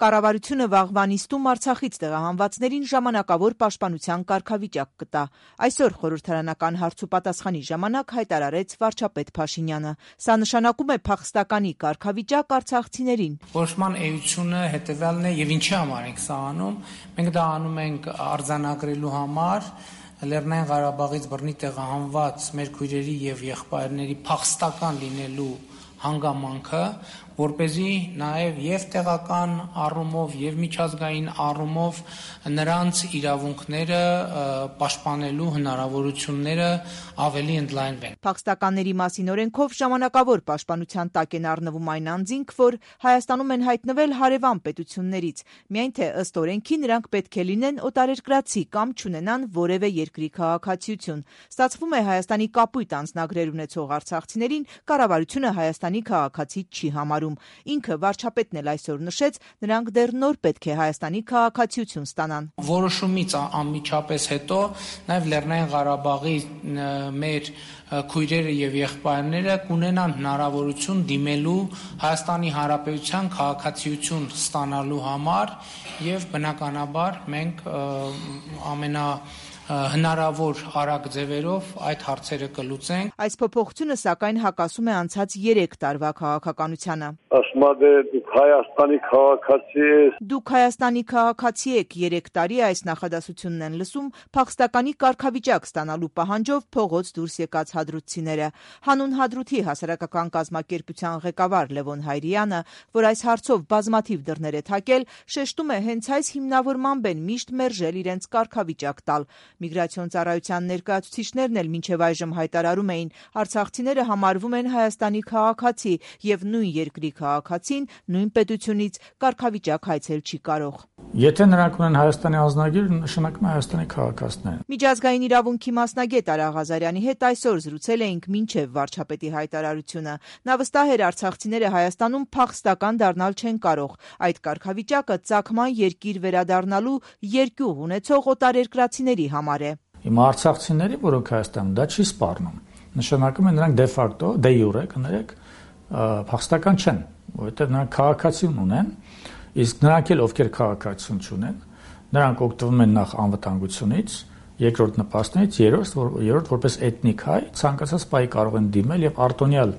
Կառավարությունը վաղվա նիստում Արցախից տեղահանվածներին ժամանակավոր պաշտպանության կարգավիճակ կտա։ Այսօր խորհրդարանական հարցուպատասխանի ժամանակ հայտարարեց վարչապետ Փաշինյանը։ Սա նշանակում է փախստականի կարգավիճակ արցախցիներին։ Որոշման էությունը հետևյալն է եւ ինչի համար ենք սա անում։ Մենք դա անում ենք արձանագրելու համար Լեռնային Ղարաբաղից բռնի տեղահանված մեր քույրերի եւ եղբայրների փախստական լինելու հանգամանքը, որպեսզի նաև եւ տեղական առումով եւ միջազգային առումով նրանց իրավունքները պաշտպանելու հնարավորությունները ավելի ընդլայնվեն։ Փախստականների մասին օրենքով ժամանակավոր պաշտպանության տակ են առնվում այն անձինք, որ Հայաստանում են հայտնվել հարևան պետություններից, միայն թե ըստ օրենքի նրանք պետք է լինեն օտարերկրացի կամ չունենան որևէ երկրի քաղաքացիություն։ Ստացվում է Հայաստանի կապույտ անձնագրեր ունեցող արցախցիներին կառավարությունը Հայաստանի քաղաքացի չի համարում։ Ինքը վարչապետն էլ այսօր նշեց, նրանք դեռ նոր պետք է Հայաստանի քաղաքացիություն ստանան։ Որոշումից անմիջապես հետո նաև Լեռնային Ղարաբաղի մեր քույրերը եւ եղբայրները կունենան հնարավորություն դիմելու Հայաստանի Հանրապետության քաղաքացիություն ստանալու համար եւ բնականաբար մենք հնարավոր արագ ձևերով այդ հարցերը կլուծենք։ Այս փոփոխությունը սակայն հակասում է անցած 3 տարվա քաղաքականությանը։ Ասում է դուք Հայաստանի քաղաքացի եք։ Դուք Հայաստանի քաղաքացի եք 3 տարի այս նախադասությունն են լսում փախստականի կարգավիճակ ստանալու պահանջով փողոց դուրս եկած հադրութցիները։ Հանուն Հադրութի հասարակական կազմակերպության ղեկավար Լևոն Հայրյանը, որ այս հարցով բազմաթիվ դռներ է թակել, շեշտում է հենց այս հիմնավորմամբ են միշտ մերժել իրենց կարգավիճակ տալ։ Միգրացիոն ծառայության ներկայացուցիչներն էլ մինչև այժմ հայտարարում էին, արցախցիները համարվում են Հայաստանի քաղաքացի եւ նույն երկրի քաղաքացին նույն պետությունից կարգավիճակ հայցել չի կարող։ Եթե նրանք ունեն Հայաստանի անձնագիր, նշանակում է Հայաստանի քաղաքացիներ։ Միջազգային իրավունքի մասնագետ Արա Ղազարյանի հետ այսօր զրուցել էինք մինչև վարչապետի հայտարարությունը։ Նա վստահ էր արցախցիները Հայաստանում փախստական դառնալ չեն կարող։ Այդ կարգավիճակը ծագման երկիր վերադառնալու երկյուղ ունեցող օտարերկրացիների համար է։ Հիմա արցախցիների, որոնք Հայաստանում դա չի սպառնում, նշանակում է նրանք դե ֆակտո, դե յուրե կներեք փախստական չեն, որովհետև նրանք քաղաքացիություն ունեն, իսկ նրանք էլ ովքեր քաղաքացիություն չունեն, նրանք օգտվում են նախ անվտանգությունից, երկրորդ նպաստներից, երրորդ որպես էթնիկ հայ ցանկացած պահի կարող են դիմել եւ արտոնյալ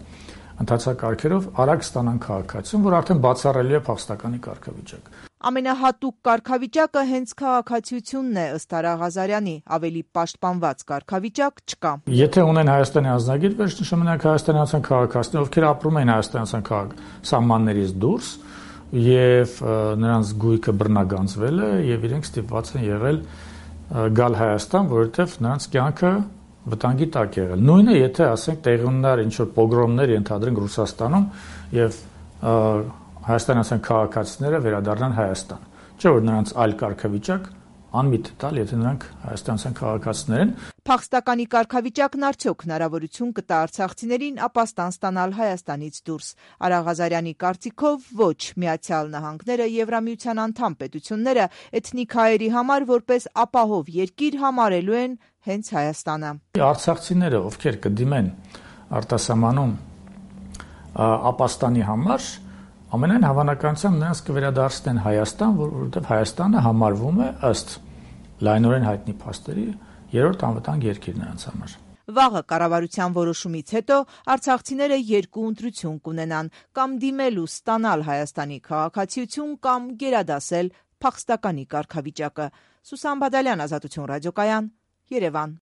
ընթացակարգերով արագ ստանան քաղաքացիություն, որ արդեն բացառելի է փախստականի կարգավիճակ։ Ամենահատուկ կարգավիճակը հենց քաղաքացիությունն է ըստ Արա Ղազարյանի, ավելի պաշտպանված կարգավիճակ չկա։ Եթե ունեն Հայաստանի անձնագիր, վերջնշում նրանք հայաստանյան քաղաքացիներ, ովքեր ապրում են հայաստանյան սահմաններից դուրս եւ նրանց գույքը բռնագանձվել է եւ իրենք ստիպված են եղել գալ Հայաստան, որովհետեւ նրանց կյանքը վտանգի տակ եղել։ Նույնը, եթե ասենք տեղի ունենար ինչ-որ պոգրոմներ ենթադրենք Ռուսաստանում եւ հայաստանյան քաղաքացիները վերադառնան Հայաստան։ Չէ՞ որ նրանց այլ կարգավիճակ անմիտ տալ, եթե նրանք հայաստանյան քաղաքացիներ են։ Փախստականի կարգավիճակն արդյոք հնարավորություն կտա արցախցիներին ապաստան ստանալ Հայաստանից դուրս։ Արա Ղազարյանի կարծիքով ոչ, Միացյալ Նահանգները, Եվրամիության անդամ պետությունները էթնիկ հայերի համար որպես ապահով երկիր համարելու են հենց Հայաստանը։ Արցախցիները, ովքեր կդիմեն արտասահմանում ապաստանի համար, ամենայն հավանականությամբ նրանց կվերադարձնեն Հայաստան, որովհետև Հայաստանը համարվում է ըստ լայնորեն հայտնի փաստերի երրորդ անվտանգ երկիր նրանց համար։ Վաղը կառավարության որոշումից հետո արցախցիները 2 ընտրություն կունենան՝ կամ դիմել ու ստանալ Հայաստանի քաղաքացիություն, կամ գերադասել փախստականի կարգավիճակը։ Սուսան Բադալյան, Ազատություն ռադիոկայան, Երևան։